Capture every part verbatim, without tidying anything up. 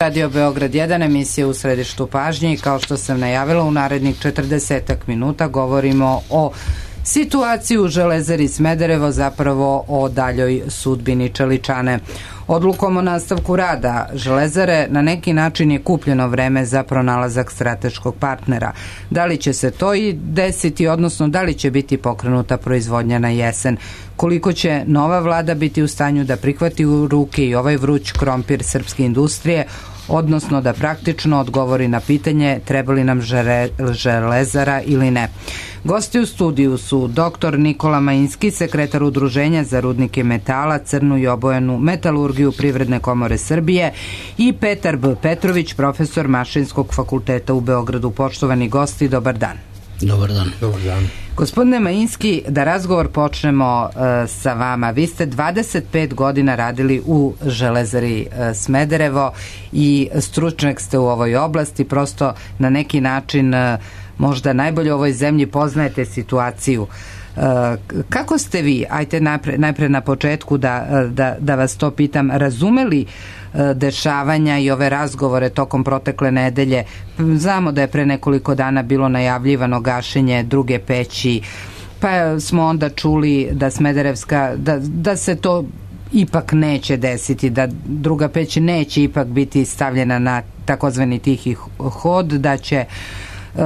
Radio Beograd jedan, emisija U središtu pažnje i kao što sam najavila u narednih četrdesetak minuta govorimo o situaciji u Železari Smederevo, zapravo o daljoj sudbini Čeličane. Odlukom o nastavku rada Železare na neki način je kupljeno vreme za pronalazak strateškog partnera. Da li će se to i desiti, odnosno da li će biti pokrenuta proizvodnja na jesen? Koliko će nova vlada biti u stanju da prihvati u ruke i ovaj vruć krompir srpske industrije, odnosno da praktično odgovori na pitanje treba li nam Železara ili ne. Gosti u studiju su doktor Nikola Majinski, sekretar Udruženja za rudnike metala, crnu i obojenu metalurgiju Privredne komore Srbije, i Petar B. Petrović, profesor Mašinskog fakulteta u Beogradu. Poštovani gosti, dobar dan. Dobar dan. Dobar dan. Gospodine Majinski, da razgovor počnemo uh, sa vama. Vi ste dvadeset pet godina radili u Železari uh, Smederevo i stručnjak ste u ovoj oblasti, prosto na neki način uh, možda najbolje u ovoj zemlji poznajete situaciju. Uh, kako ste vi, ajte najpre, najpre na početku da, da, da vas to pitam, razumeli uh, dešavanja i ove razgovore tokom protekle nedelje? Znamo da je pre nekoliko dana bilo najavljivano gašenje druge peći, pa smo onda čuli da Smederevska, da, da se to ipak neće desiti, da druga peć neće ipak biti stavljena na takozvani tihi hod, da će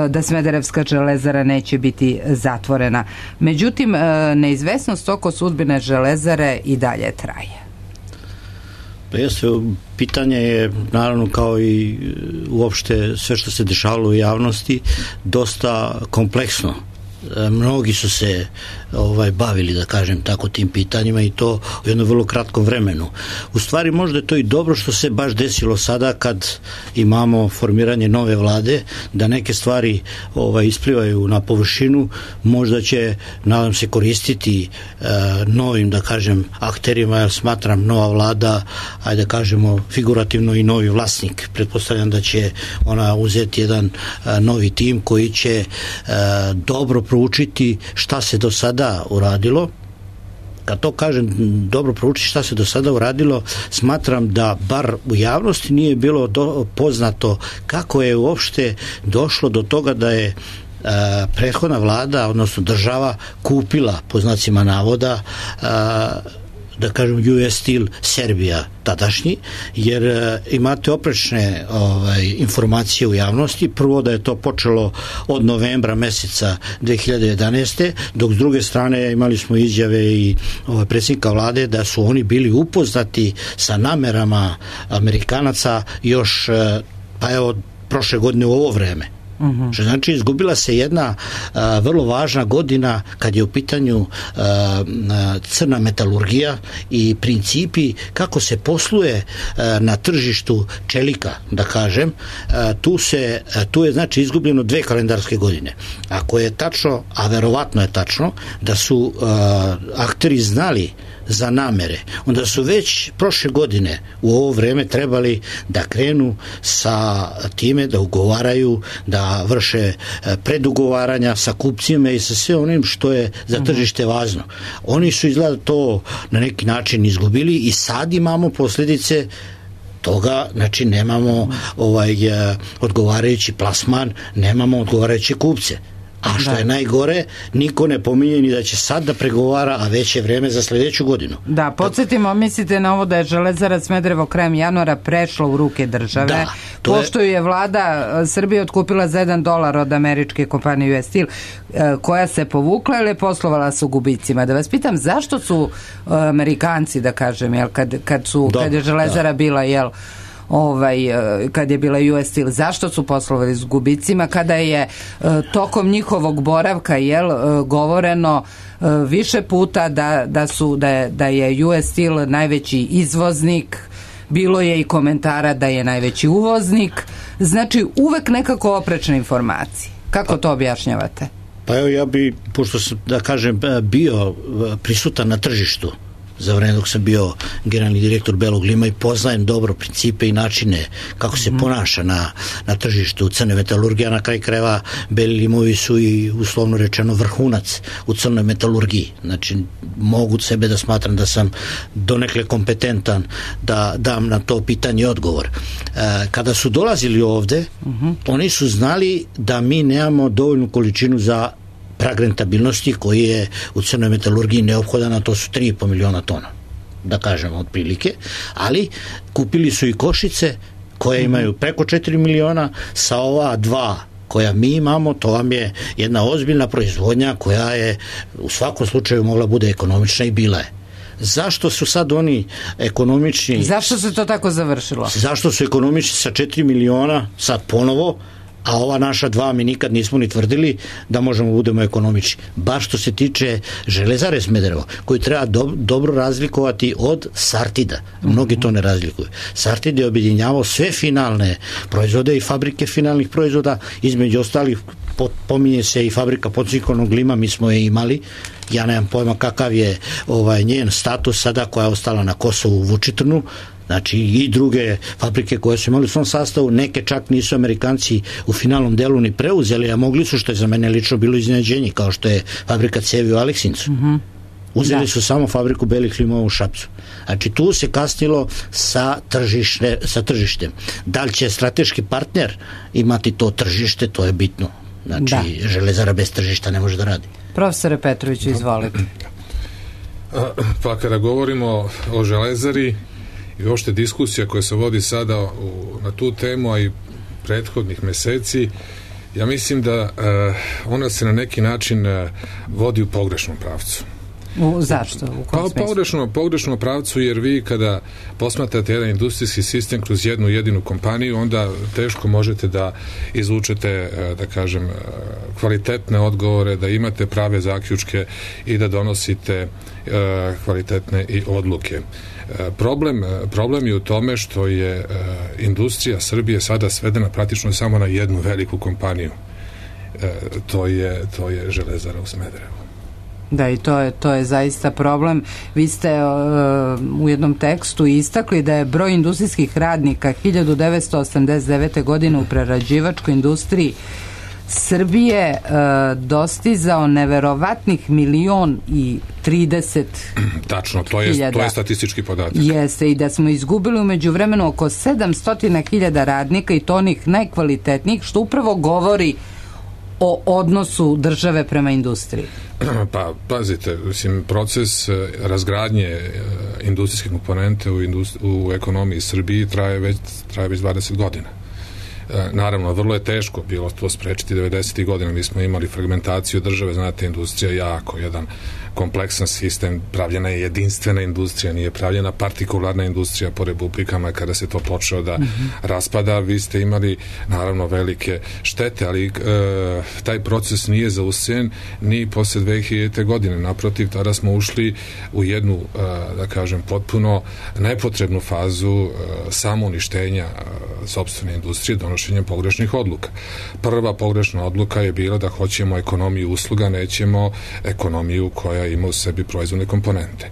da Smederevska železara neće biti zatvorena. Međutim, neizvesnost oko sudbine Železare i dalje traje. Pa jeste, pitanje je naravno kao i uopšte sve što se dešavalo u javnosti dosta kompleksno. Mnogi su se ovaj, bavili, da kažem tako, tim pitanjima i to u jednom vrlo kratkom vremenu. U stvari možda je to i dobro što se baš desilo sada kad imamo formiranje nove vlade, da neke stvari ovaj, isplivaju na površinu, možda će, nadam se, koristiti e, novim, da kažem, akterima, jer smatram nova vlada, ajde da kažemo figurativno i novi vlasnik. Pretpostavljam da će ona uzeti jedan e, novi tim koji će e, dobro proučiti šta se do sada uradilo. Kad to kažem dobro proučiti šta se do sada uradilo, smatram da bar u javnosti nije bilo do, poznato kako je uopšte došlo do toga da je Uh, prethodna vlada, odnosno država, kupila, po znacima navoda, uh, da kažem U S Steel Serbia tadašnji, jer uh, imate oprečne ovaj, informacije u javnosti. Prvo da je to počelo od novembra meseca dve hiljade jedanaeste. Dok s druge strane imali smo izjave i ovaj, predsjednika vlade da su oni bili upoznati sa namerama Amerikanaca još uh, pa evo prošle godine u ovo vreme. Uh-huh. Što znači izgubila se jedna a, vrlo važna godina kad je u pitanju a, a, crna metalurgija i principi kako se posluje a, na tržištu čelika, da kažem. A, tu, se, a, tu je znači izgubljeno dve kalendarske godine. Ako je tačno, a verovatno je tačno, da su a, akteri znali za namere, onda su već prošle godine u ovo vreme trebali da krenu sa time da ugovaraju, da vrše predugovaranja sa kupcima i sa sve onim što je za tržište važno. Oni su izgleda to na neki način izgubili i sad imamo posljedice toga, znači nemamo ovaj odgovarajući plasman, nemamo odgovarajuće kupce. A što da. je najgore, niko ne pominje ni da će sad da pregovara, a već je vreme za sljedeću godinu. Da, podsjetimo, mislite na ovo da je Železara Smederevo krajem januara prešla u ruke države, da, pošto je... je vlada Srbije otkupila za jedan dolar od američke kompanije U S Steel, koja se povukla ili je poslovala sa gubicima. Da vas pitam, zašto su Amerikanci, da kažem, jel, kad, kad, su, da, kad je Železara da. bila, jel, ovaj, kad je bila U S Steel, zašto su poslovali s gubicima kada je tokom njihovog boravka, jel, govoreno više puta da, da, su, da, je, da je U S Steel najveći izvoznik, bilo je i komentara da je najveći uvoznik, znači uvek nekako oprečne informacije. Kako to objašnjavate? Pa evo, ja bi, pošto sam, da kažem, bio prisutan na tržištu za vreme dok sam bio generalni direktor Belog lima i poznajem dobro principe i načine kako se ponaša na, na tržištu crne metalurgije, a na kraj krajeva Beli limovi su i uslovno rečeno vrhunac u crnoj metalurgiji. Znači mogu sebe da smatram da sam donekle kompetentan da dam na to pitanje odgovor. E, kada su dolazili ovde, uh-huh. oni su znali da mi nemamo dovoljnu količinu za prag rentabilnosti koji je u crnoj metalurgiji neophodan, a to su tri i po miliona tona, da kažemo otprilike, ali kupili su i Košice koje imaju preko četiri miliona, sa ova dva koja mi imamo, to vam je jedna ozbiljna proizvodnja koja je u svakom slučaju mogla bude ekonomična i bila je. Zašto su sad oni ekonomični? Zašto se to tako završilo? Zašto su ekonomični sa četiri miliona sad ponovo, a ova naša dva mi nikad nismo ni tvrdili da možemo budemo ekonomični. Baš što se tiče Železare Smederevo, koju treba do, dobro razlikovati od Sartida. Mnogi to ne razlikuju. Sartid je objedinjavao sve finalne proizvode i fabrike finalnih proizvoda, između ostalih pominje se i fabrika podciklonog lima, mi smo je imali. Ja nemam pojma kakav je ovaj njen status sada, koja je ostala na Kosovu u Vučitrnu. Znači i druge fabrike koje su imali u svom sastavu, neke čak nisu Amerikanci u finalnom delu ni preuzeli, a mogli su, što je za mene lično bilo iznenađenje, kao što je fabrika cevi u Aleksincu. Mm-hmm. Uzeli da. su samo fabriku belih limova u Šapcu. Znači tu se kasnilo sa, tržište, sa tržištem. Da li će strateški partner imati to tržište, to je bitno. Znači da. Železara bez tržišta ne može da radi. Profesore Petroviću, izvolite. Pa kada govorimo o Železari i uopšte diskusija koja se vodi sada u, na tu temu, a i prethodnih meseci, ja mislim da uh, ona se na neki način uh, vodi u pogrešnom pravcu. U, zašto? U pa pogrešno, pogrešno pravcu, jer vi kada posmatrate jedan industrijski sistem kroz jednu jedinu kompaniju, onda teško možete da izvučete, da kažem, kvalitetne odgovore, da imate prave zaključke i da donosite kvalitetne i odluke. Problem, problem je u tome što je industrija Srbije sada svedena praktično samo na jednu veliku kompaniju. To je, to je Železara u Smederevu. Da, i to je, to je zaista problem. Vi ste uh, u jednom tekstu istakli da je broj industrijskih radnika hiljadu devetsto osamdeset devete. godine u prerađivačkoj industriji Srbije uh, dostizao neverovatnih milion i trideset Tačno, to je, to je statistički podatak. Jeste, i da smo izgubili umeđu vremenu oko sedamsto hiljada radnika, i to onih najkvalitetnijih, što upravo govori o odnosu države prema industriji. Pa, pazite, mislim, proces razgradnje industrijske komponente u, industri- u ekonomiji Srbiji traje već, traje već dvadeset godina. Naravno, vrlo je teško bilo to sprečiti devedesetih godina. Mi smo imali fragmentaciju države, znate, industrija jako jedan kompleksan sistem, pravljena je jedinstvena industrija, nije pravljena partikularna industrija po republikama. Kada se to počeo da mm-hmm. raspada, vi ste imali naravno velike štete, ali e, taj proces nije zaustavljen ni posle dve hiljadite. godine. Naprotiv, tada smo ušli u jednu, e, da kažem, potpuno nepotrebnu fazu e, samouništenja e, sopstvene industrije, donošenjem pogrešnih odluka. Prva pogrešna odluka je bila da hoćemo ekonomiju usluga, nećemo ekonomiju koja ima u sebi proizvodne komponente.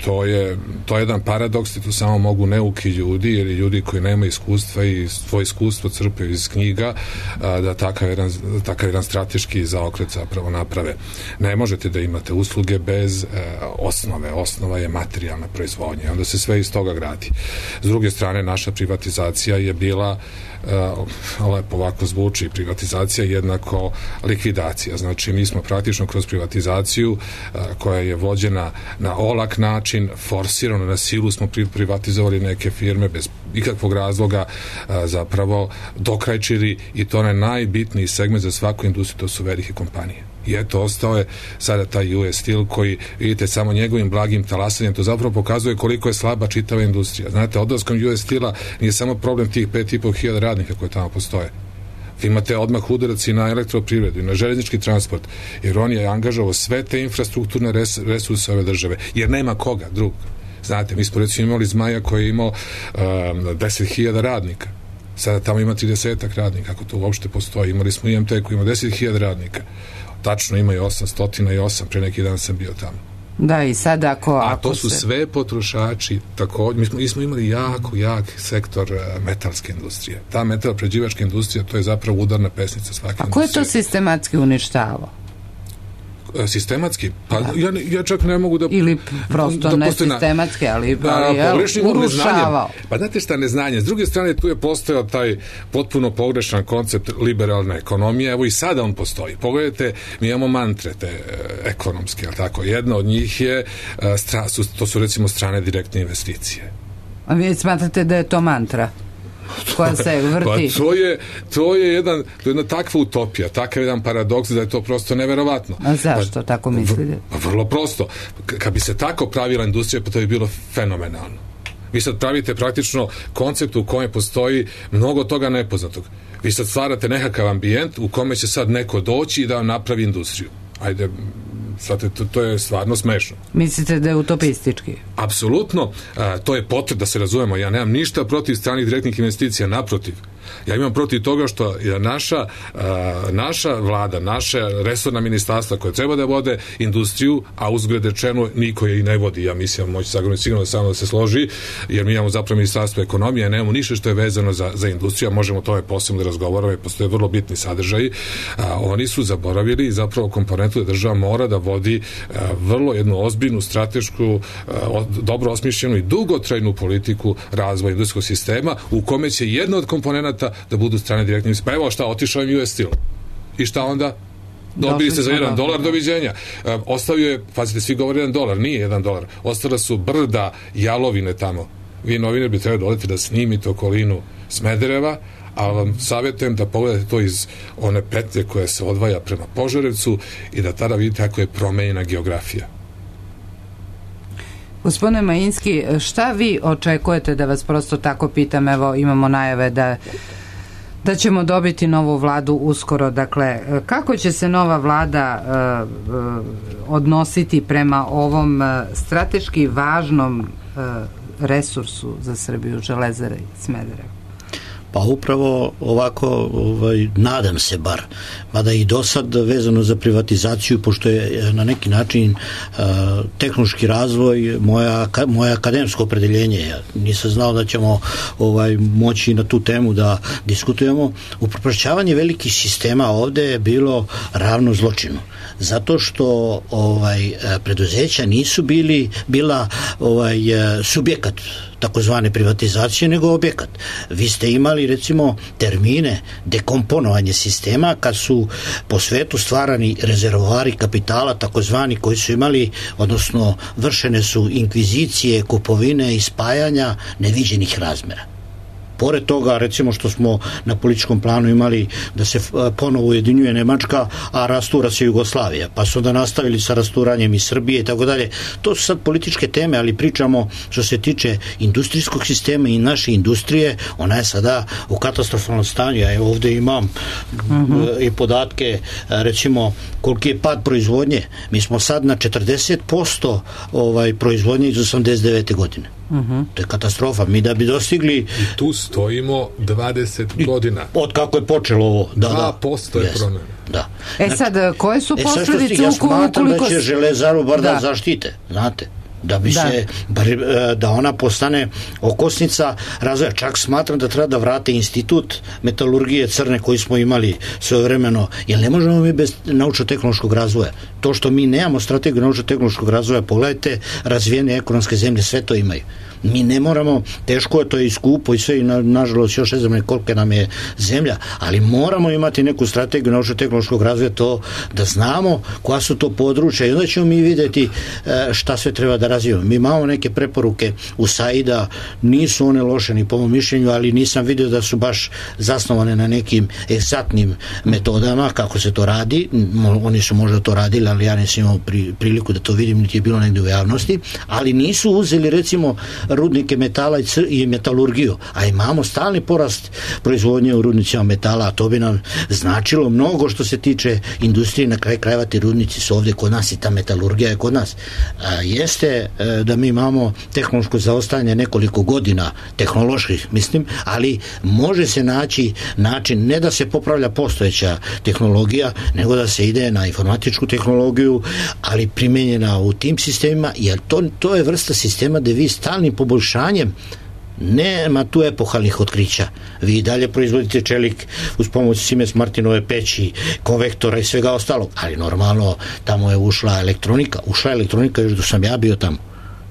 To je, to je jedan paradoks, i tu samo mogu neuki ljudi, ili ljudi koji nema iskustva i svoje iskustvo crpe iz knjiga, a, da takav jedan, takav jedan strateški zaokret zapravo naprave. Ne možete da imate usluge bez e, osnove. Osnova je materijalna proizvodnja. Onda se sve iz toga gradi. S druge strane, naša privatizacija je bila Uh, lepo ovako zvuči, privatizacija jednako likvidacija. Znači, mi smo praktično kroz privatizaciju uh, koja je vođena na olak način, forsirano na silu, smo privatizovali neke firme bez ikakvog razloga, uh, zapravo dokrajčili, i to je najbitniji segment za svaku industriju, to su velike kompanije. I eto, ostao je sada taj U S Steel koji, vidite, samo njegovim blagim talasanjem, to zapravo pokazuje koliko je slaba čitava industrija. Znate, odlaskom U S Steela nije samo problem tih pet i po hiljada radnika koje tamo postoje. Vi imate odmah udarac i na elektroprivredu i na železnički transport, jer on je angažovao sve te infrastrukturne res, resurse ove države, jer nema koga drugog. Znate, mi smo recimo imali Zmaja koji je imao um, deset hiljada radnika. Sada tamo ima tridesetak radnika, ako to uopšte postoji. Imali smo I M T koji ima deset hiljada radnika. Tačno ima i osamsto osam, pre neki dan sam bio tamo. Da, i sad ako... A ako to su se... sve potrošači, također, mi smo, mi smo imali jako, jak sektor uh, metalske industrije. Ta metalprerađivačka industrija, to je zapravo udarna pesnica svake A ko je industrije. to sistematski uništavao? Sistematski? Pa ja, ja čak ne mogu da... Ili prosto da ne sistematski, ali, ali da, je urušavao. Pa znate šta, neznanje. S druge strane, tu je postojao taj potpuno pogrešan koncept liberalne ekonomije. Evo i sada on postoji. Pogledajte, mi imamo mantre te e, ekonomske, ali tako. Jedna od njih je, e, stra, su, to su recimo strane direktne investicije. A vi smatrate da je to mantra? Koja se vrti. Pa to je, to je jedan, to je jedna takva utopija, takav jedan paradoks da je to prosto neverovatno. A zašto pa, tako mislite? Pa vrlo prosto. Kad bi se tako pravila industrija, pa to bi bilo fenomenalno. Vi sad pravite praktično koncept u kojem postoji mnogo toga nepoznatog. Vi sad stvarate nekakav ambijent u kome će sad neko doći i da vam napravi industriju. Ajde, sad to, to je stvarno smešno. Mislite da je utopistički? Apsolutno, a, to je potrebno da se razumemo. Ja nemam ništa protiv stranih direktnih investicija, naprotiv. Ja imam protiv toga što je naša, a, naša vlada, naša resorna ministarstva koja treba da vode industriju, a uzgled rečeno niko je i ne vodi. Ja mislim, moći sagledati sigurno samo da se složi, jer mi imamo zapravo ministarstvo ekonomije, nemamo ništa što je vezano za, za industriju, a možemo to je posebno da razgovaramo i postoje vrlo bitni sadržaji. A, oni su zaboravili zapravo komponentu da država mora da vodi a, vrlo jednu ozbiljnu, stratešku, a, dobro osmišljenu i dugotrajnu politiku razvoja industrijskog sistema u kome će jedna od komponenata da budu strane direktne investicije. Pa evo šta, otišao im U S Steel. I šta onda? Dobili ste za jedan dolar, doviđenja. E, ostavio je, pazite, svi govore jedan dolar, nije jedan dolar. Ostala su brda jalovine tamo. Vi novinar bi trebali doleti da snimite okolinu Smedereva, a vam savjetujem da pogledate to iz one petlje koja se odvaja prema Požarevcu i da tada vidite kako je promenjena geografija. Gospodine Majinski, šta vi očekujete, da vas prosto tako pitam, evo imamo najave da da ćemo dobiti novu vladu uskoro, dakle, kako će se nova vlada uh, uh, odnositi prema ovom uh, strateški važnom uh, resursu za Srbiju, Železare Smederevo? Pa upravo ovako, ovaj, nadam se bar, mada i do sad vezano za privatizaciju, pošto je na neki način uh, tehnološki razvoj moja, moje akademsko opredeljenje, ja nisam znao da ćemo ovaj, moći na tu temu da diskutujemo. Upropašćavanje velikih sistema ovde je bilo ravno zločinu, zato što ovaj, preduzeća nisu bili bila ovaj, subjekat takozvane privatizacije, nego objekat. Vi ste imali recimo termine dekomponovanje sistema kad su po svetu stvarani rezervoari kapitala takozvani koji su imali, odnosno vršene su inkvizicije, kupovine i spajanja neviđenih razmera. Pored toga, recimo što smo na političkom planu imali da se ponovo ujedinjuje Nemačka, a rastura se Jugoslavija, pa su onda nastavili sa rasturanjem i Srbije i tako dalje. To su sad političke teme, ali pričamo što se tiče industrijskog sistema i naše industrije, ona je sada u katastrofalnom stanju. Ja ovdje imam uh-huh. i podatke, recimo koliki je pad proizvodnje. Mi smo sad na četrdeset posto ovaj, proizvodnje iz osamdeset devete godine. Uh-huh. To je katastrofa. Mi da bi dostigli... I tu stojimo dvadeset godina. Od kako je počelo ovo. Da, dva posto je promjena. Da. E sad, koje su posljedice? E sad, ja smatram da će Železaru bar da, da zaštite, znate. Da bi da. se, da ona postane okosnica razvoja. Čak smatram da treba da vrate institut metalurgije crne koji smo imali svojevremeno, jer ne možemo mi bez naučno-tehnološkog razvoja. To što mi nemamo strategiju naučno-tehnološkog razvoja, pogledajte, razvijene ekonomske zemlje sve to imaju. Mi ne moramo, teško je, to je i skupo i sve, i na, nažalost još ne znam koliko nam je zemlja, ali moramo imati neku strategiju naučno-tehnološkog razvoja, to da znamo koja su to područja i onda ćemo mi vidjeti šta sve treba da razvijemo. Mi imamo neke preporuke u SAID-a, nisu one loše ni po mom mišljenju, ali nisam vidio da su baš zasnovane na nekim egzaktnim metodama kako se to radi. Oni su možda to radili, ali ja nisam imao pri, priliku da to vidim, niti je bilo negdje u javnosti, ali nisu uzeli recimo rudnike metala i metalurgiju, a imamo stalni porast proizvodnje u rudnicima metala, a to bi nam značilo mnogo što se tiče industrije. Na kraju krajeva ti rudnici su ovdje kod nas i ta metalurgija je kod nas. A, jeste da mi imamo tehnološko zaostajanje nekoliko godina, tehnoloških mislim, ali može se naći način ne da se popravlja postojeća tehnologija, nego da se ide na informatičku tehnologiju, ali primenjena u tim sistemima, jer to, to je vrsta sistema gde vi stalnim poboljšanjem nema tu epohalnih otkrića. Vi dalje proizvodite čelik uz pomoć Siemens Martinove peći, konvektora i svega ostalog, ali normalno tamo je ušla elektronika, ušla elektronika još da sam ja bio tamo.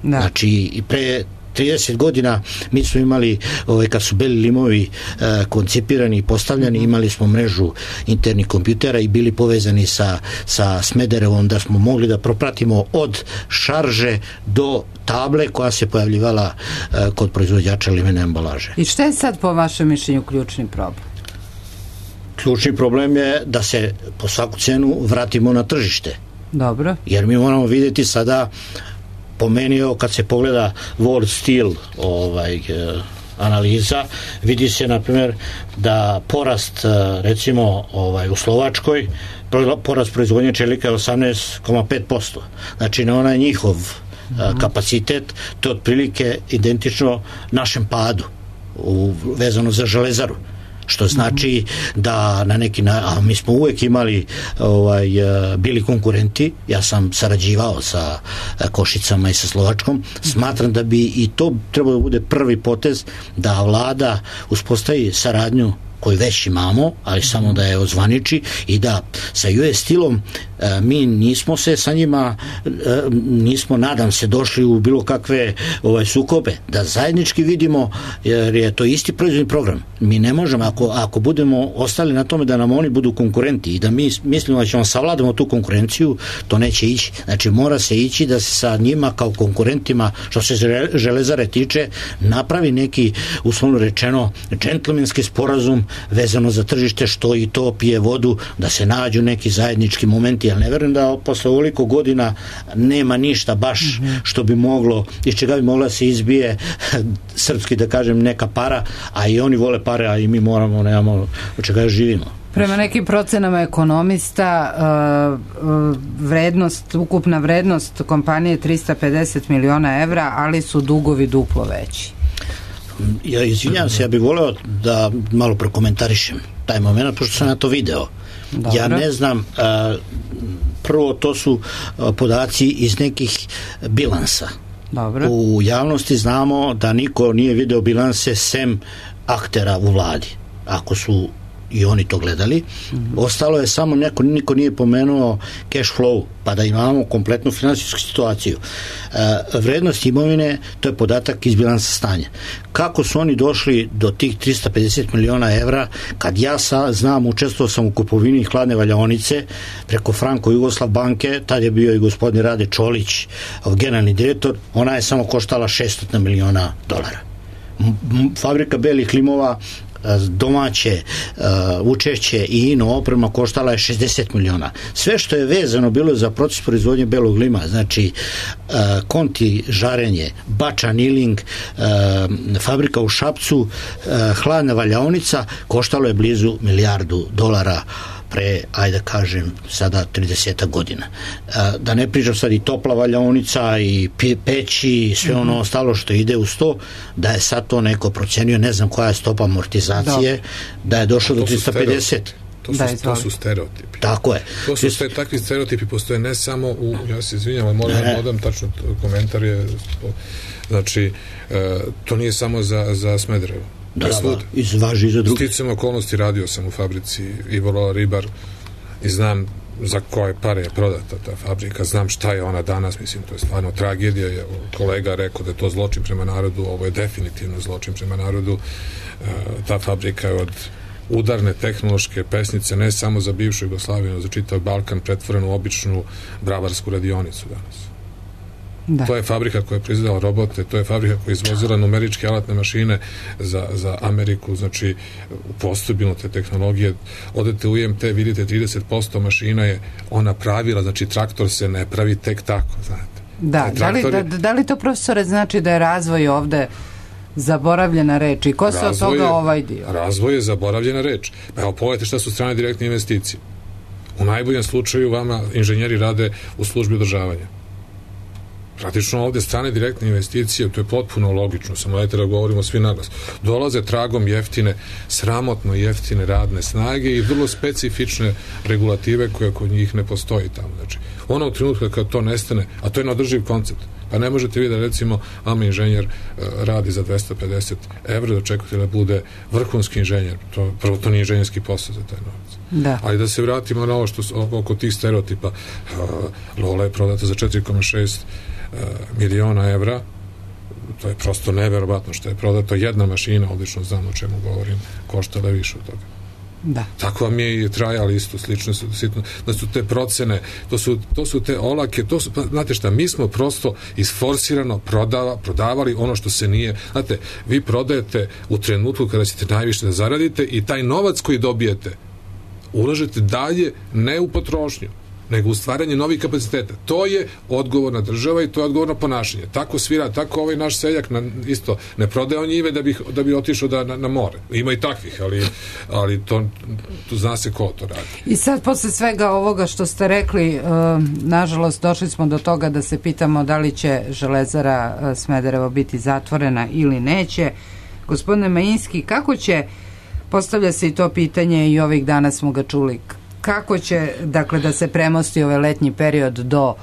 Da. Znači i pre trideset godina mi smo imali, ovaj, kad su beli limovi e, koncipirani i postavljani, imali smo mrežu internih kompjutera i bili povezani sa, sa Smederevom, da smo mogli da propratimo od šarže do table koja se pojavljivala e, kod proizvođača limene ambalaže. I šta je sad po vašem mišljenju ključni problem? Ključni problem je da se po svaku cenu vratimo na tržište. Dobro. Jer mi moramo vidjeti sada, po meni, kad se pogleda World Steel ovaj, eh, analiza, vidi se na primjer da porast eh, recimo ovaj, u Slovačkoj porast proizvodnje čelika je osamnaest zarez pet posto. Znači na onaj njihov eh, kapacitet, to je otprilike identično našem padu u, vezano za železaru, što znači da na neki način, a mi smo uvek imali ovaj, bili konkurenti, ja sam sarađivao sa Košicama i sa Slovačkom, smatram da bi i to trebalo da bude prvi potez da vlada uspostavi saradnju koju već imamo, ali samo da je ozvaniči i da sa U S Steelom e, mi nismo se sa njima e, nismo, nadam se, došli u bilo kakve ovaj, sukobe, da zajednički vidimo, jer je to isti proizvodni program. Mi ne možemo, ako, ako budemo ostali na tome da nam oni budu konkurenti i da mi mislimo da ćemo savladamo tu konkurenciju, to neće ići. Znači mora se ići da se sa njima kao konkurentima, što se železare tiče, napravi neki, uslovno rečeno, džentlmenski sporazum vezano za tržište, što i to pije vodu, da se nađu neki zajednički momenti, ali ne verujem da posle ovoliko godina nema ništa baš što bi moglo, iz čega bi mogla se izbije srpski da kažem neka para, a i oni vole pare, a i mi moramo, nemamo od čega živimo. Prema nekim procenama ekonomista vrednost, ukupna vrednost kompanije je trista pedeset miliona evra, ali su dugovi duplo veći. Ja izvinjam se, ja bih voleo da malo prokomentarišem taj moment, pošto sam na to video. Dobro. Ja ne znam, prvo to su podaci iz nekih bilansa. Dobro. U javnosti znamo da niko nije video bilanse sem aktera u vladi. Ako su i oni to gledali, mm-hmm. ostalo je samo neko, niko nije pomenuo cash flow, pa da imamo kompletnu finansijsku situaciju. E, vrednost imovine, to je podatak iz bilansa stanja. Kako su oni došli do tih trista pedeset miliona evra, kad ja sa, znam, učestvovao sam u kupovini hladne valjaonice preko Franko-Jugoslav banke, tad je bio i gospodin Rade Čolić, generalni direktor, ona je samo koštala šesto miliona dolara. M- fabrika belih limova, domaće uh, učešće i ino oprema koštala je šezdeset miliona. Sve što je vezano bilo za proces proizvodnje belog lima, znači uh, konti žarenje, bača niling, uh, fabrika u Šapcu, uh, hladna valjaonica, koštalo je blizu milijardu dolara pre, ajde kažem, sada trideset godina. Da ne pričam sad i topla valjaonica i peći i sve ono mm-hmm. ostalo što ide uz to, da je sad to neko procenio, ne znam koja je stopa amortizacije, da, da je došlo do trista pedeset. To su, da, to su stereotipi. Tako je. To su ste, takvi stereotipi postoje ne samo u, ja se izvinjam, ali moram da dodam tačno komentar je, znači, e, to nije samo za, za Smederevo. Da, da, izvaži za drugi. Sticam okolnosti, radio sam u fabrici Ivoloa Ribar i znam za koje pare je prodata ta fabrika, znam šta je ona danas, mislim, to je stvarno tragedija, je kolega rekao da je to zločin prema narodu, ovo je definitivno zločin prema narodu. E, ta fabrika je od udarne tehnološke pesnice, ne samo za bivšu Jugoslaviju, nego za čitav Balkan, pretvorenu u običnu bravarsku radionicu danas. Da. To je fabrika koja je proizvodila robote, to je fabrika koja je izvozila numeričke alatne mašine za, za Ameriku, znači postabilno te tehnologije. Odete u I M T, vidite trideset posto mašina je ona pravila, znači traktor se ne pravi tek tako, znate. Da, da li, da, da li to, profesore, znači da je razvoj ovde zaboravljena reč i ko se od toga ovaj dio? Razvoj je zaboravljena reč. Pa evo, pogledajte šta su strane direktne investicije. U najboljem slučaju vama inženjeri rade u službi održavanja. Praktično ovde strane direktne investicije, to je potpuno logično, samo dajte da govorimo svi naglas, dolaze tragom jeftine, sramotno jeftine radne snage i vrlo specifične regulative koje kod njih ne postoji tamo. Znači, ono u trenutku kad to nestane, a to je neodrživ koncept, pa ne možete vi da recimo vama inženjer uh, radi za dvesta pedeset evra, da očekujete da bude vrhunski inženjer, to, prvo to nije inženjerski posao za taj novac. Da. Ali da se vratimo na ovo što oko tih stereotipa, uh, Lola je prodata za četiri zarez šest miliona evra, to je prosto neverovatno što je prodato. Jedna mašina, odlično znam o čemu govorim, koštala više od toga. Da. Tako vam je i trajal isto, slično su, slično, da su te procene, to su, to su te olake, to su, znate šta, mi smo prosto isforsirano prodava, prodavali ono što se nije, znate, vi prodajete u trenutku kada ćete najviše da zaradite i taj novac koji dobijete ulažete dalje, ne u potrošnju, nego u stvaranje novih kapaciteta. To je odgovorna država i to je odgovorno ponašanje. Tako svira, tako ovaj naš seljak na, isto ne prodaje on njive da bi, da bi otišao da, na, na more. Ima i takvih, ali, ali to, to zna se ko to radi. I sad posle svega ovoga što ste rekli, uh, nažalost došli smo do toga da se pitamo da li će Železara uh, Smederevo biti zatvorena ili neće. Gospodine Majinski, kako će, postavlja se i to pitanje i ovih dana smo ga čuli, kako će, dakle, da se premosti ovaj letnji period do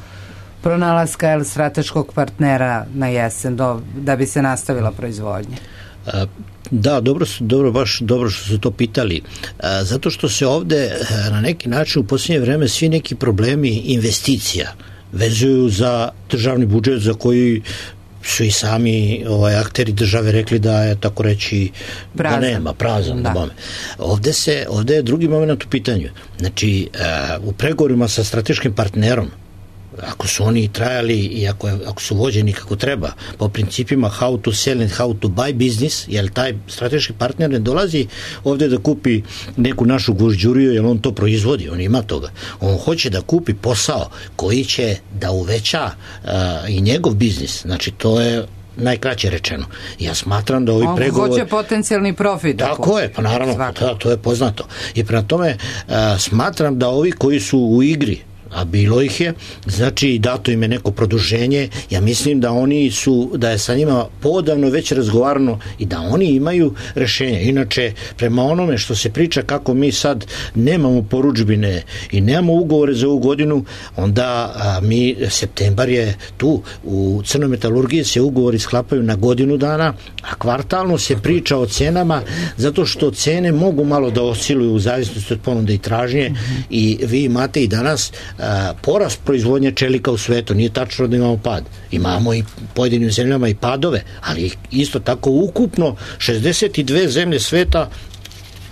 pronalaska el, strateškog partnera na jesen, do, da bi se nastavila proizvodnja? A, da, dobro, dobro, baš dobro što su to pitali. A, zato što se ovde na neki način u posljednje vreme svi neki problemi investicija vezuju za državni budžet za koji su i sami ovaj, akteri države rekli da je, tako reći, prazan. Da nema, prazan. Da. Ovde, se, ovde je drugi moment u pitanju. Znači, uh, u pregovorima sa strateškim partnerom, ako su oni trajali i ako, je, ako su vođeni kako treba, po principima how to sell and how to buy business, jer taj strateški partner ne dolazi ovde da kupi neku našu gužđuriju, jer on to proizvodi, on ima toga. On hoće da kupi posao koji će da uveća uh, i njegov biznis. Znači, to je najkraće rečeno. Ja smatram da ovi on pregovori... On hoće potencijalni profit. Tako je, pa naravno, da, to je poznato. I prema tome, uh, smatram da ovi koji su u igri, a bilo ih je, znači dato im je neko produženje, ja mislim da oni su, da je sa njima podavno već razgovarano i da oni imaju rešenje. Inače, prema onome što se priča kako mi sad nemamo porudžbine i nemamo ugovore za ovu godinu, onda a, mi, septembar je tu, u Crnoj metalurgiji se ugovori sklapaju na godinu dana, a kvartalno se priča o cenama, zato što cene mogu malo da osciluju u zavisnosti od ponude i tražnje. Mm-hmm. I vi imate i danas a, porast proizvodnje čelika u svetu, nije tačno da imamo pad. Imamo i pojedinim zemljama i padove, ali isto tako ukupno šezdeset dve zemlje sveta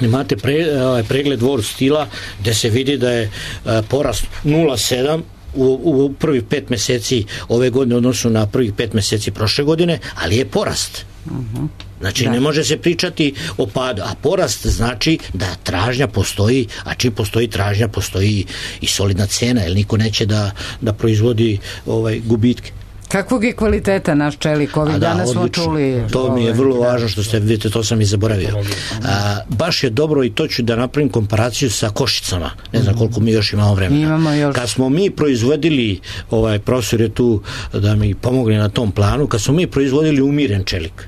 imate pre, pregled World Stila gde se vidi da je a, porast nula zarez sedam u, u prvih pet meseci ove godine odnosno na prvih pet meseci prošle godine, ali je porast. Uh-huh. Znači, da. Ne može se pričati o padu, a porast znači da tražnja postoji, a čim postoji tražnja, postoji i solidna cena, jer niko neće da, da proizvodi ovaj, gubitke. Kakvog je kvaliteta naš čelik? Ovih da, dana smo čuli... To ovaj, mi je vrlo da. važno što ste, vidite, to sam i zaboravio. A, baš je dobro i to ću da napravim komparaciju sa Košicama. Ne znam koliko mi još imamo vremena. Imamo još. Kad smo mi proizvodili, ovaj profesor je tu da mi pomogne na tom planu, kad smo mi proizvodili umiren čelik,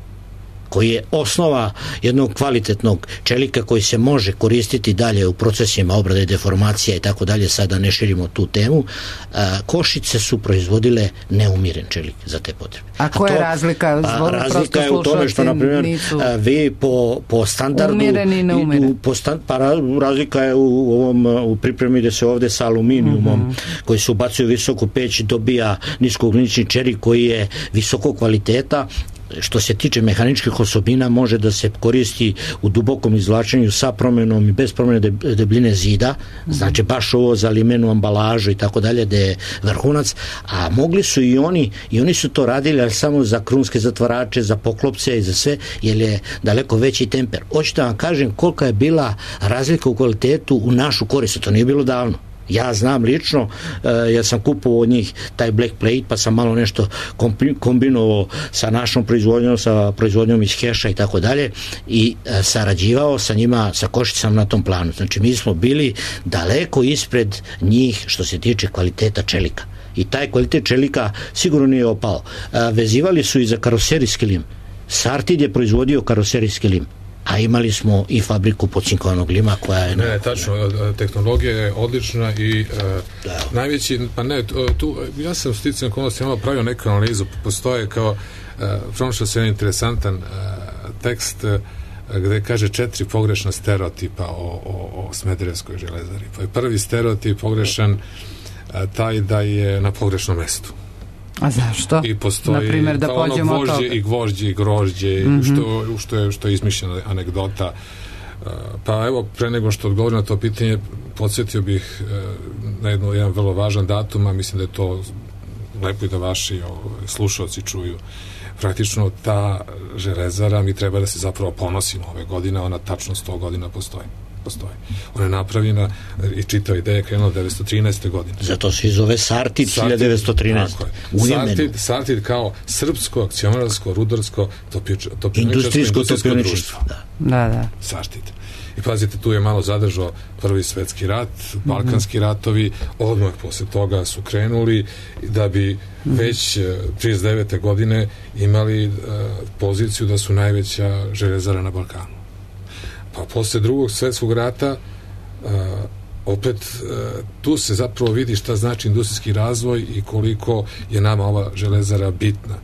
koji je osnova jednog kvalitetnog čelika koji se može koristiti dalje u procesima obrade, deformacija i tako dalje, sada ne širimo tu temu, a, Košice su proizvodile neumiren čelik za te potrebe. A koja je razlika? A, razlika je u tome što, na primjer, nisu... vi po, po standardu... Umireni i neumeren. Po stand, pa razlika je u, ovom, u pripremi gde se ovde sa aluminijumom, mm-hmm. koji se ubacuje u visoku peć, dobija niskougljični čelik koji je visokog kvaliteta. Što se tiče mehaničkih osobina, može da se koristi u dubokom izvlačenju sa promenom i bez promene debljine zida, znači baš ovo za limenu ambalažu i tako dalje, da je vrhunac, a mogli su i oni, i oni su to radili, ali samo za krunske zatvarače, za poklopce i za sve, jer je daleko veći temper. Hoću da vam kažem kolika je bila razlika u kvalitetu u našu korist, to nije bilo davno. Ja znam lično, uh, jer sam kupovao od njih taj black plate, pa sam malo nešto kombinovao sa našom proizvodnjom, sa proizvodnjom iz Heša i tako dalje, i uh, sarađivao sa njima, sa Košicama na tom planu. Znači, mi smo bili daleko ispred njih što se tiče kvaliteta čelika. I taj kvalitet čelika sigurno nije opao. Uh, vezivali su i za karoserijski lim. Sartid je proizvodio karoserijski lim, a imali smo i fabriku pocinkovanog lima koja je... Ne, ne, tačno, tehnologija je odlična i uh, najveći, pa ne, tu, ja sam sticajem okolnosti imao pravio neku analizu, postoje kao, uh, pronašao se jedan interesantan uh, tekst uh, gde kaže četiri pogrešna stereotipa o, o, o Smederevskoj železari. Pa je prvi stereotip pogrešan uh, taj da je na pogrešnom mestu. A zašto? I postoji, naprimjer, da pođemo od toga. I gvožđe i grožđe, mm-hmm. što, što, je, što je izmišljena anegdota. Pa evo, pre nego što odgovorim na to pitanje, podsjetio bih na jedno, jedan vrlo važan datum, a mislim da je to lepo i da vaši slušalci čuju. Praktično ta železara, mi treba da se zapravo ponosimo ove godine, ona tačno sto godina postoji. postoji. Ona je napravljena i čitava ideja je krenula devetsto trinaeste. godine. Zato se zove Sartid hiljadu devetsto trinaeste. Sartid, Sartid kao srpsko, akcionarsko, rudarsko, topioničarsko, industrijsko društvo. Da. da, da. Sartid. I pazite, tu je malo zadržao prvi svetski rat, balkanski ratovi, odmah posle toga su krenuli da bi već trideset devete. godine imali uh, poziciju da su najveća železara na Balkanu. Pa posle drugog svjetskog rata uh, opet uh, tu se zapravo vidi šta znači industrijski razvoj i koliko je nama ova železara bitna.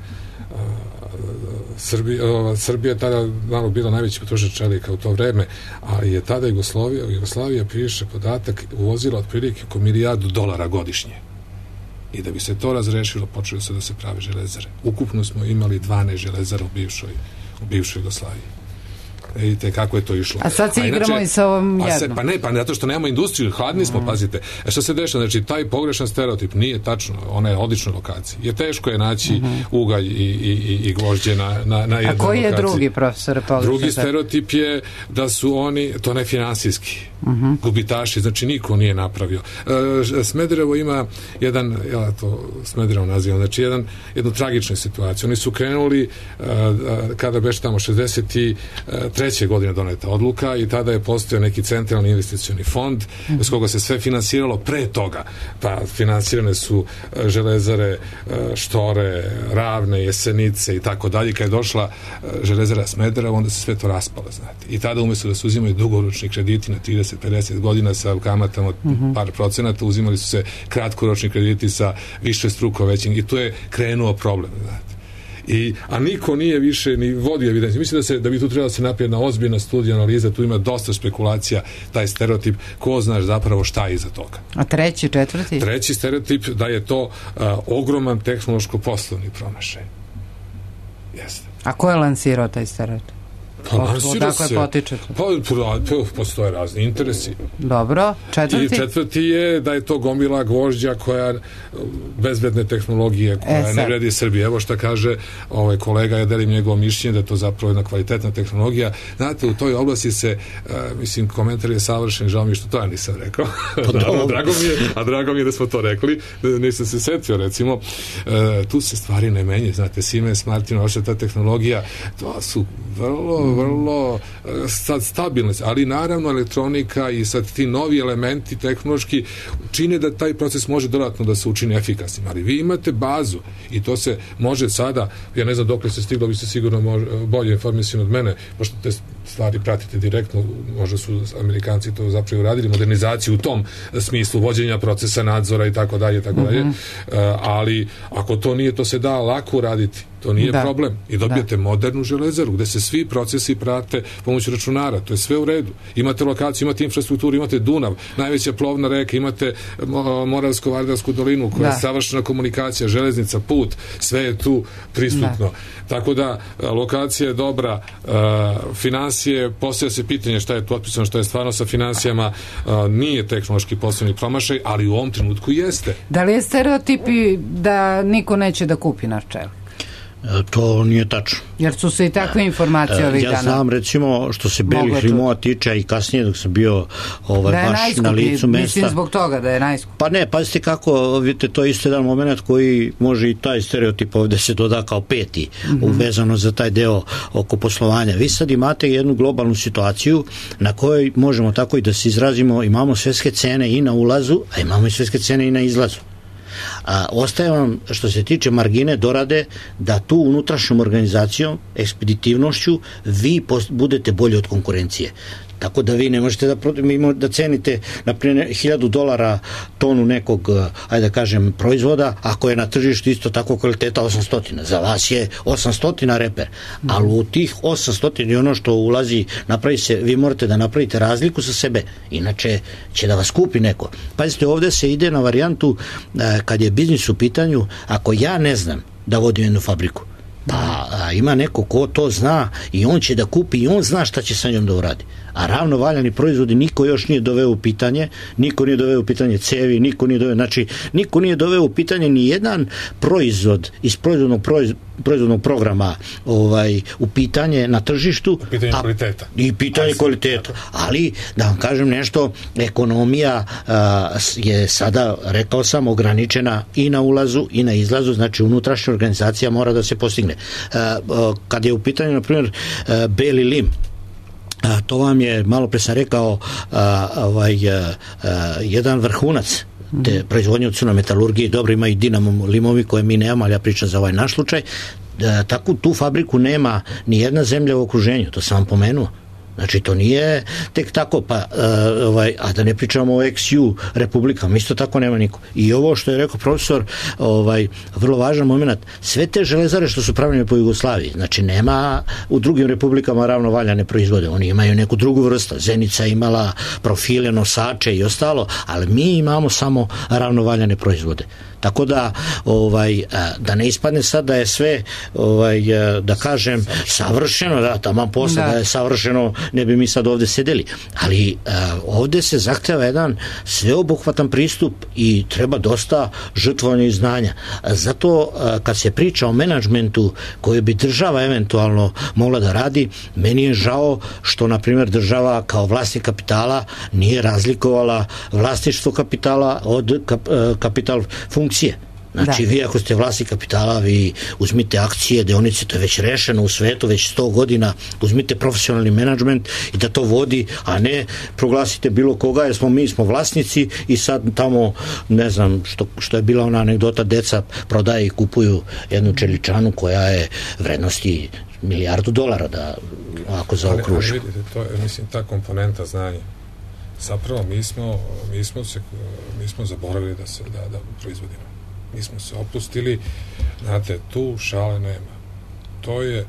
Uh, Srbija, uh, Srbija je tada malo bila najveći potrošač čelika u to vreme, ali je tada Jugoslavija, Jugoslavija piše podatak, uvozila otprilike oko milijardu dolara godišnje. I da bi se to razrešilo, počelo se da se prave železare. Ukupno smo imali dvanaest železara u bivšoj, u bivšoj Jugoslaviji. Vidite kako je to išlo. A sad se igramo inače, i sa ovom jednom. Se, pa ne, pa zato što nemamo industriju, hladni smo, mm. pazite. E što se dešava, znači taj pogrešan stereotip nije tačno, ona je odlična lokacija. Je teško je naći mm-hmm. ugalj i, i, i gvožđe na, na, na jednoj lokaciji. A koji je drugi, profesor? Drugi stereotip je da su oni, to ne finansijski, mm-hmm. gubitaši, znači niko nije napravio. E, Smederevo ima jedan, ja to Smederevo nazivam, znači jedan, jednu tragičnu situaciju. Oni su krenuli, e, kada beš tamo šezdeset treće godine doneta odluka i tada je postojao neki centralni investicioni fond mm-hmm. s koga se sve finansiralo pre toga. Pa finansirane su železare Štore, Ravne, Jesenice i tako dalje. Kad je došla železara Smederevo, onda se sve to raspalo, znate. I tada umjesto da se uzimaju dugoročni krediti na trideset pedeset godina sa kamatama od mm-hmm. par procenata, uzimali su se kratkoročni krediti sa više struko većim i tu je krenuo problem, znate. I, a niko nije više ni vodio evidenciju. Mislim da, se, da bi tu trebala da se napravi jedna ozbiljna studija, analiza, tu ima dosta spekulacija, taj stereotip, ko znaš zapravo šta je iza toga. A treći, četvrti? Treći stereotip da je to uh, ogroman tehnološko-poslovni promašaj. Jeste. A ko je lansirao taj stereotip? Pa lansira se. Potičete? Pa, pa postoje razni interesi. Dobro, četvrti? I četvrti je da je to gomila gvožđa koja bezbedne tehnologije koja e, ne vredi Srbije. Evo šta kaže ovaj kolega, ja delim njegovo mišljenje da je to zapravo jedna kvalitetna tehnologija. Znate, u toj oblasti se uh, mislim, komentar je savršen, žao mi što to ja nisam rekao. Naravno, drago mi je, a drago mi je da smo to rekli. Nisam se setio, recimo. Uh, tu se stvari ne menje. Znate, Siemens, Martin, vaša ta tehnologija, to su vrlo vrlo sad stabilne, ali naravno elektronika i sad ti novi elementi tehnološki čine da taj proces može dodatno da se učini efikasnim, ali vi imate bazu i to se može sada, ja ne znam dokle se stiglo, vi ste sigurno mož, bolje informisani od mene, pošto te stvari pratite direktno, možda su Amerikanci to zapravo uradili, modernizaciju u tom smislu vođenja procesa nadzora i tako dalje, tako dalje, mm-hmm. ali ako to nije, to se da lako uraditi. To nije da. problem. I dobijete da. modernu železaru gde se svi procesi prate pomoću računara. To je sve u redu. Imate lokaciju, imate infrastrukturu, imate Dunav, najveća plovna reka, imate Moravsko-Vardarsku dolinu koja da. je savršena komunikacija, železnica, put, sve je tu prisutno. Da. Tako da lokacija je dobra, uh, finansije, postavlja se pitanje šta je tu otpisano, šta je stvarno sa finansijama, uh, nije tehnološki poslovni promašaj, ali u ovom trenutku jeste. Da li je stereotipi da niko neće da kupi naš čelik? To nije tačno. Jer su se i takve informacije ovih ja dana. Ja znam, recimo, što se belih limova tiče i kasnije dok sam bio ovaj, da baš na licu mesta. Mislim zbog toga da je najskup. Pa ne, pazite kako, vidite, to je isto jedan moment koji može i taj stereotip ovde se doda kao peti, mm-hmm. uvezano za taj deo oko poslovanja. Vi sad imate jednu globalnu situaciju na kojoj možemo tako i da se izrazimo, imamo svetske cene i na ulazu, a imamo i svetske cene i na izlazu. A, ostaje vam, što se tiče margine, dorade da tu unutrašnjom organizacijom, ekspeditivnošću, vi post, budete bolji od konkurencije. Tako da vi ne možete da, da cenite na primjer hiljadu dolara tonu nekog, ajde da kažem, proizvoda, ako je na tržištu isto tako kvaliteta osamsto. Za vas je osamsto reper, ali u tih osamsto i ono što ulazi, napravi se, vi morate da napravite razliku za sebe, inače će da vas kupi neko. Pazite, ovde se ide na varijantu kad je biznis u pitanju, ako ja ne znam da vodim jednu fabriku, pa a, ima neko ko to zna i on će da kupi i on zna šta će sa njom da uradi. A ravno valjani proizvodi niko još nije doveo u pitanje, niko nije doveo u pitanje cevi, niko nije doveo, znači niko nije doveo u pitanje ni jedan proizvod iz proizvodnog, proiz, proizvodnog programa ovaj, u pitanje na tržištu. U pitanje a, kvaliteta. I pitanje kvaliteta. Ali, da vam kažem nešto, ekonomija a, je sada, rekao sam, ograničena i na ulazu i na izlazu, znači unutrašnja organizacija mora da se postigne. A, a, kad je u pitanju, na primjer, a, beli lim, A, to vam je, malo pre sam rekao, a, ovaj, a, a, jedan vrhunac te proizvodnje od sunometalurgije. Dobro, ima i Dinamo limovi koje mi nemamo, ali ja pričam za ovaj naš slučaj. Da, tako tu fabriku nema ni jedna zemlja u okruženju, to sam vam pomenuo. Znači, to nije tek tako, pa, uh, ovaj, a da ne pričamo o ex ju republikama, isto tako nema niko. I ovo što je rekao profesor, ovaj, vrlo važan moment, sve te železare što su pravljene po Jugoslaviji, znači nema u drugim republikama ravnovaljane proizvode, oni imaju neku drugu vrstu, Zenica imala profile, nosače i ostalo, ali mi imamo samo ravnovaljane proizvode. Tako da ovaj da ne ispadne sad da je sve ovaj da kažem savršeno, da taman posle da. da je savršeno, ne bi mi sad ovde sedeli, ali ovde se zahteva jedan sveobuhvatan pristup i treba dosta žrtvovanja i znanja. Zato kad se priča o menadžmentu koji bi država eventualno mogla da radi, meni je žao što na primjer država kao vlasnik kapitala nije razlikovala vlasništvo kapitala od kap, kapital funkcije. Znači, da. Vi ako ste vlasnik kapitala, vi uzmite akcije, deonice, to je već rešeno u svetu, već sto godina, uzmite profesionalni menadžment i da to vodi, a ne proglasite bilo koga, jer smo mi smo vlasnici i sad tamo, ne znam, što, što je bila ona anegdota, deca prodaje i kupuju jednu čeličanu koja je vrednosti milijardu dolara, da ako zaokružimo. Ali, ali vidite, to je, mislim, ta komponenta znanja. Zapravo, mi smo, mi smo, se, mi smo zaboravili da se da, da proizvodimo. Mi smo se opustili, znate, tu šale nema. To je,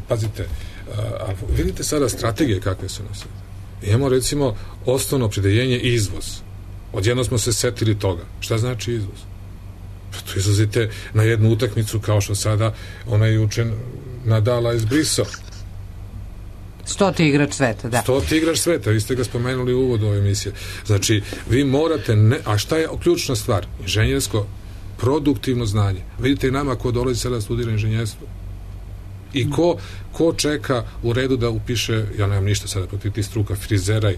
pazite, a, vidite sada strategije kakve su nas. Imamo, recimo, osnovno opredeljenje izvoz. Odjedno smo se setili toga. Šta znači izvoz? Pa tu izlazite na jednu utakmicu kao što sada ona je juče Nadala izbrisao. Stoti igrač sveta, da. Stoti igrač sveta, vi ste ga spomenuli u uvodu ove emisije. Znači, vi morate, ne, a šta je ključna stvar? Inženjersko produktivno znanje. Vidite i nama ko dolazi sada studira inženjerstvo. I ko, ko čeka u redu da upiše, ja nemam ništa sada protiv tih struka, frizeraj,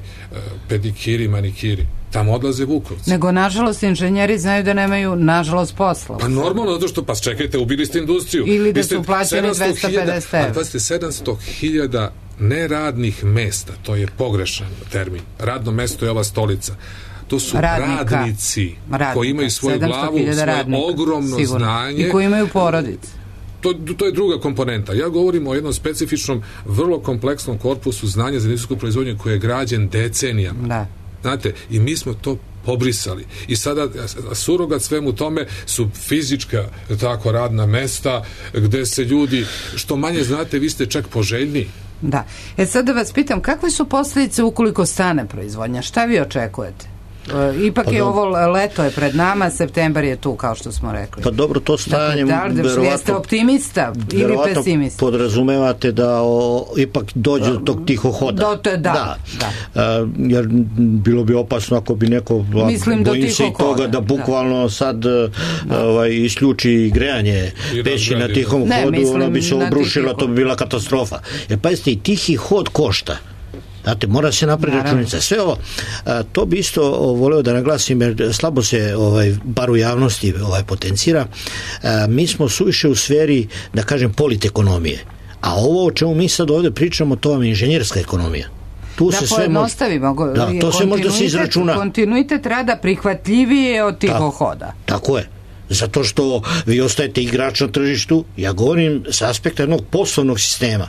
pedikiri, manikiri. Tamo odlaze vukovci. Nego, nažalost, inženjeri znaju da nemaju, nažalost, posla. Pa normalno, zato što, pa čekajte, ubili ste industriju. Ili da su plaćeni dvesta pedeset evra. Pa ste sedamsto hiljada neradnih mesta, to je pogrešan termin. Radno mesto je ova stolica. To su radnika, radnici radnika, koji imaju svoju glavu, svoje radnika, ogromno sigurno. Znanje. I koji imaju porodice. To, to je druga komponenta. Ja govorim o jednom specifičnom, vrlo kompleksnom korpusu znanja za industrijsku proizvodnju koji je građen decenijama. Da. Znate, i mi smo to pobrisali. I sada surogat svemu tome su fizička tako radna mesta gde se ljudi, što manje znate, vi ste čak poželjni. Da. E sad da vas pitam, kakve su posljedice ukoliko stane proizvodnja? Šta vi očekujete? Ipak pa je dobro. ovo leto je pred nama, septembar je tu, kao što smo rekli. Pa dobro, to stajanje dakle, da, da, jeste optimista ili pesimista? Podrazumevate da o, ipak dođe do tog tiho hoda. Do te, da, da. da. A, jer bilo bi opasno ako bi neko, Mislim, bojim se i toga hoda. Da bukvalno da. sad da. Ovaj, isključi grejanje peći na tihom ne, hodu, ona bi se obrušila, to bi bila katastrofa. Jer pa jeste, i tihi hod košta. Znate, mora se napraviti računica. Sve ovo, a, to bi isto o, voleo da naglasim, jer slabo se, ovaj, bar u javnosti ovaj, potencira. A, mi smo suviše u sferi, da kažem, politekonomije. A ovo o čemu mi sad ovde pričamo, to vam je inženjerska ekonomija. Tu da se sve može, da, to sve može da se izračuna. Kontinuitet rada prihvatljivije od tiho hoda. Tako je. Zato što vi ostajete igrač na tržištu, ja govorim sa aspekta jednog poslovnog sistema.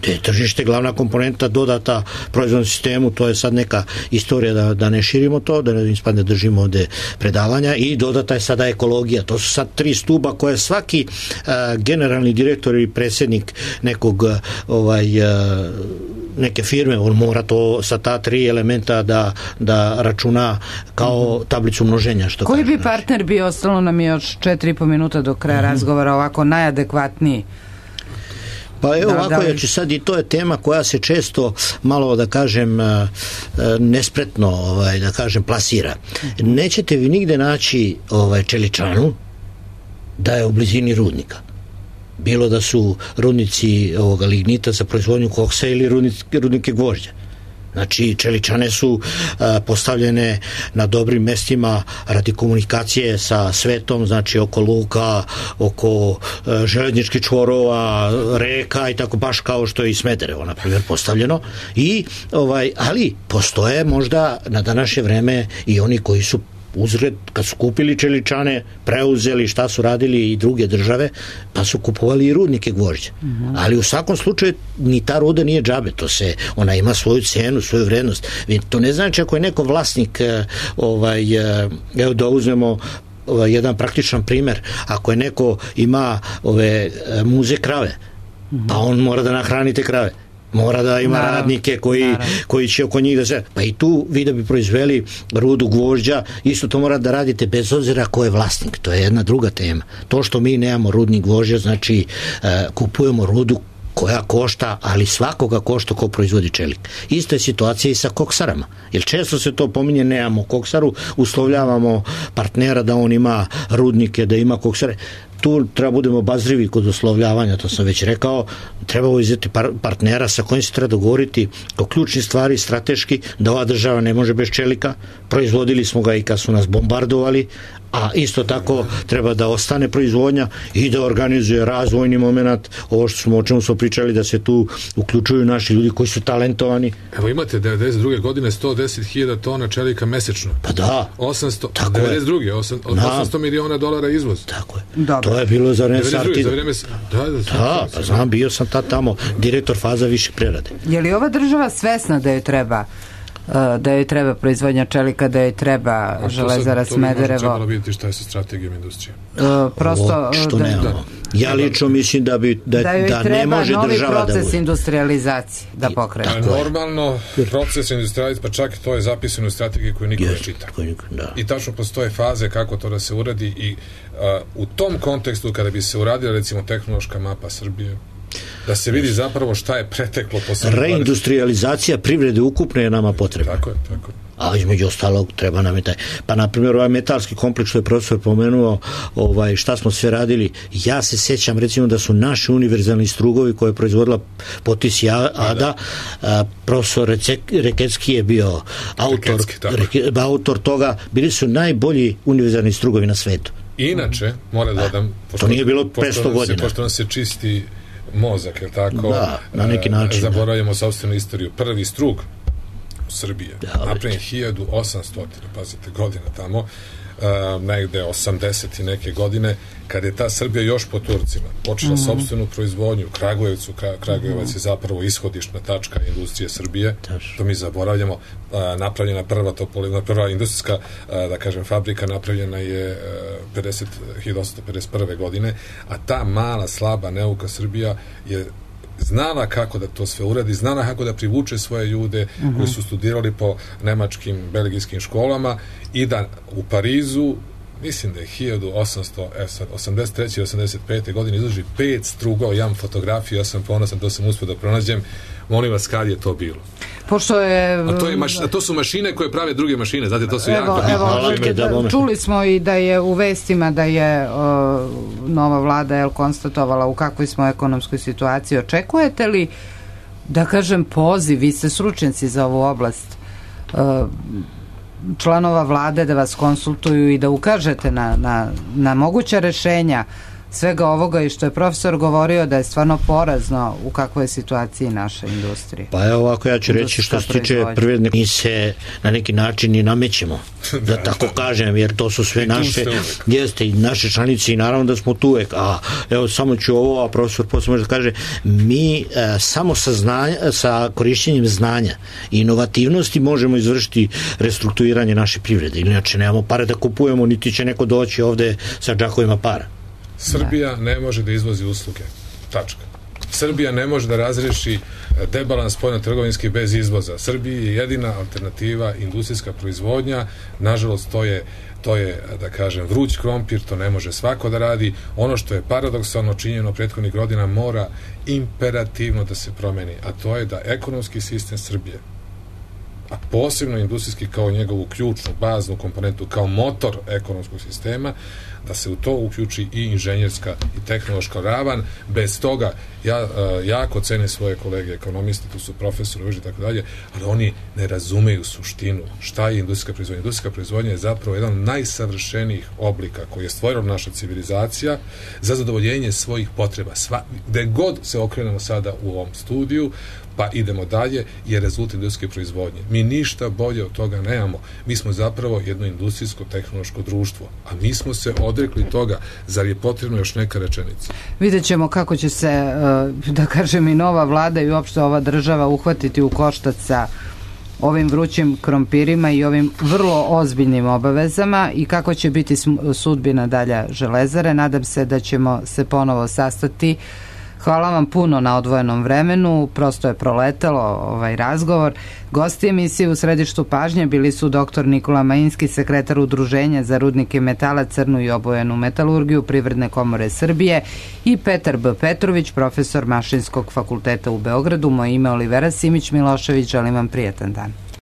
Te je tržište glavna komponenta dodata proizvodnom sistemu, to je sad neka istorija da, da ne širimo to, da ne ispadne držimo ovde predavanja, i dodata je sada ekologija. To su sad tri stuba koje svaki a, generalni direktor ili predsjednik nekog ovaj a, neke firme, on mora to sa ta tri elementa da, da računa kao tablicu množenja. Što koji kaže, bi partner bio, ostalo nam je još četiri i po minuta do kraja uh-huh. razgovora, ovako najadekvatniji? Pa evo da, ovako, da, znači sad i to je tema koja se često malo, da kažem, nespretno, ovaj, da kažem, plasira. Nećete vi nigde naći ovaj, čeličanu da je u blizini rudnika. Bilo da su rudnici ovoga lignita za proizvodnju koksa ili rudnike, rudnike gvožđa. Znači, čeličane su a, postavljene na dobrim mestima radi komunikacije sa svetom, znači oko luka, oko a, željezničkih čvorova, reka i tako, baš kao što je i Smederevo, na primjer, postavljeno. I, ovaj, ali postoje možda na današnje vreme i oni koji su uzred, kad su kupili čeličane, preuzeli šta su radili i druge države, pa su kupovali i rudnike gvožđa. Mm-hmm. Ali u svakom slučaju ni ta ruda nije džabe, to se, ona ima svoju cenu, svoju vrednost. To ne znači ako je neko vlasnik, ovaj, evo da uzmemo ovaj, jedan praktičan primer, ako je neko ima ove muze krave, mm-hmm. pa on mora da nahrani te krave. Mora da ima naravno, radnike koji, naravno. koji će oko njih da se... Pa i tu vi da bi proizveli rudu gvožđa, isto to mora da radite bez obzira ko je vlasnik. To je jedna druga tema. To što mi nemamo rudnik gvožđa, znači uh, kupujemo rudu koja košta, ali svakoga košta ko proizvodi čelik. Ista je situacija i sa koksarama. Jer često se to pominje, nemamo koksaru, uslovljavamo partnera da on ima rudnike, da ima koksare. Tu treba budemo obazrivi kod uslovljavanja, to sam već rekao, treba uzeti par- partnera sa kojim se treba dogovoriti o ključni stvari, strateški, da ova država ne može bez čelika. Proizvodili smo ga i kad su nas bombardovali, a isto tako treba da ostane proizvodnja i da organizuje razvojni moment, ovo što smo, o čemu smo pričali, da se tu uključuju naši ljudi koji su talentovani. Evo imate devedeset druge godine sto deset hiljada tona čelika mesečno. Pa da. osamsto, devedeset druge osamsto miliona dolara izvoz. Tako je. Dobro. To je bilo za vreme Sartida. Da, da, da, pa znam, bio sam tad tamo direktor faza viših prerade. Je li ova država svesna da joj treba da joj treba proizvodnja čelika, da joj treba železara Smederevo? To bi možda trebalo vidjeti šta je sa strategijom industrije. Uh, prosto, o, što da, nemamo. Da. Ja lično mislim da bi da, da, da ne može država da... Da joj treba novi proces industrializacije da pokrene. Normalno, proces industrializacije, pa čak to je zapisano u strategiji koju niko ne čita. Da. I tačno postoje faze kako to da se uradi i uh, u tom kontekstu kada bi se uradila recimo tehnološka mapa Srbije, da se vidi zapravo šta je preteklo posle. Reindustrializacija privrede ukupne je nama potrebna. Tako je, tako je. A između ostalog treba nam je taj. Pa na primjer ovaj metalski kompleks što je profesor pomenuo, ovaj, šta smo sve radili, ja se sećam recimo da su naši univerzalni strugovi koje je proizvodila Potisi Ada, a, profesor Rekecki je bio autor, Rekecki, autor toga, bili su najbolji univerzalni strugovi na svetu. Inače, moram da dodam, pošto, to nije bilo petsto godina. Pošto nam se čisti mozak, je tako? Da, na neki način. Zaboravljamo sopstvenu istoriju. Prvi strug u Srbiji, da, napravljen hiljadu osamsto, pazite, godina tamo, uh, negde osamdeset i neke godine, kad je ta Srbija još po Turcima počela mm-hmm. sopstvenu proizvodnju u Kragujevcu. Kragujevac mm-hmm. je zapravo ishodišna tačka industrije Srbije. Taš. To mi zaboravljamo. Uh, napravljena prva topolina, prva industrijska, uh, da kažem, fabrika napravljena je uh, hiljadu osamsto pedeset prve godine, a ta mala, slaba, neuka Srbija je znala kako da to sve uradi, znala kako da privuče svoje ljude uh-huh. koji su studirali po nemačkim, belgijskim školama i da u Parizu, mislim da je hiljadu osamsto osamdeset treće i osamdeset pete godine izloži pet strugao, ja imam fotografiju, ja sam ponosan, to sam uspio da pronađem. Molim vas, kad je to bilo? Pošto je... A to, je maš, a to su mašine koje prave druge mašine, znate, to su evo, jako... Evo, da, čuli smo i da je u vestima da je o, nova vlada je konstatovala u kakvoj smo ekonomskoj situaciji. Očekujete li, da kažem, poziv, vi ste stručnjaci za ovu oblast, o, članova vlade da vas konsultuju i da ukažete na, na, na moguća rešenja svega ovoga i što je profesor govorio da je stvarno porazno u kakvoj je situaciji naša industrija. Pa evo ovako, ja ću reći što se tiče privredne, mi se na neki način i namećemo, da tako kažem, jer to su sve naše, jeste i naše članice i naravno da smo tu uvek, a evo samo ću ovo, a profesor posle može da kaže, mi e, samo sa, znanja, sa korišćenjem znanja i inovativnosti možemo izvršiti restrukturiranje naše privrede, inače nemamo pare da kupujemo, niti će neko doći ovde sa džakovima para. Srbija ne može da izvozi usluge. Tačka. Srbija ne može da razreši debalans spoljno-trgovinski bez izvoza. Srbiji je jedina alternativa industrijska proizvodnja. Nažalost, to je, to je, da kažem, vruć krompir, to ne može svako da radi. Ono što je paradoksalno činjeno prethodnih godina mora imperativno da se promeni, a to je da ekonomski sistem Srbije, a posebno industrijski kao njegovu ključnu, baznu komponentu, kao motor ekonomskog sistema, da se u to uključi i inženjerska i tehnološka ravan. Bez toga, ja uh, jako cenim svoje kolege ekonomiste, tu su profesori i tako dalje, ali oni ne razumeju suštinu šta je industrijska proizvodnja. Industrijska proizvodnja je zapravo jedan od najsavršenijih oblika koji je stvorila naša civilizacija za zadovoljenje svojih potreba. Sva, gde god se okrenemo sada u ovom studiju, pa idemo dalje, je rezultat industrijske proizvodnje. Mi ništa bolje od toga nemamo. Mi smo zapravo jedno industrijsko-tehnološko društvo, a mi smo se odrekli toga. Zar je potrebno još neka rečenica? Vidjet ćemo kako će se, da kažem, i nova vlada i uopšte ova država uhvatiti u koštac sa ovim vrućim krompirima i ovim vrlo ozbiljnim obavezama i kako će biti sudbina dalja Železare. Nadam se da ćemo se ponovo sastati. Hvala vam puno na odvojenom vremenu, prosto je proletelo ovaj razgovor. Gosti emisije u središtu pažnje bili su doktor Nikola Majinski, sekretar Udruženja za rudnike metala, crnu i obojenu metalurgiju Privredne komore Srbije, i Petar B. Petrović, profesor Mašinskog fakulteta u Beogradu. Moje ime je Olivera Simić Milošević, želim vam prijatan dan.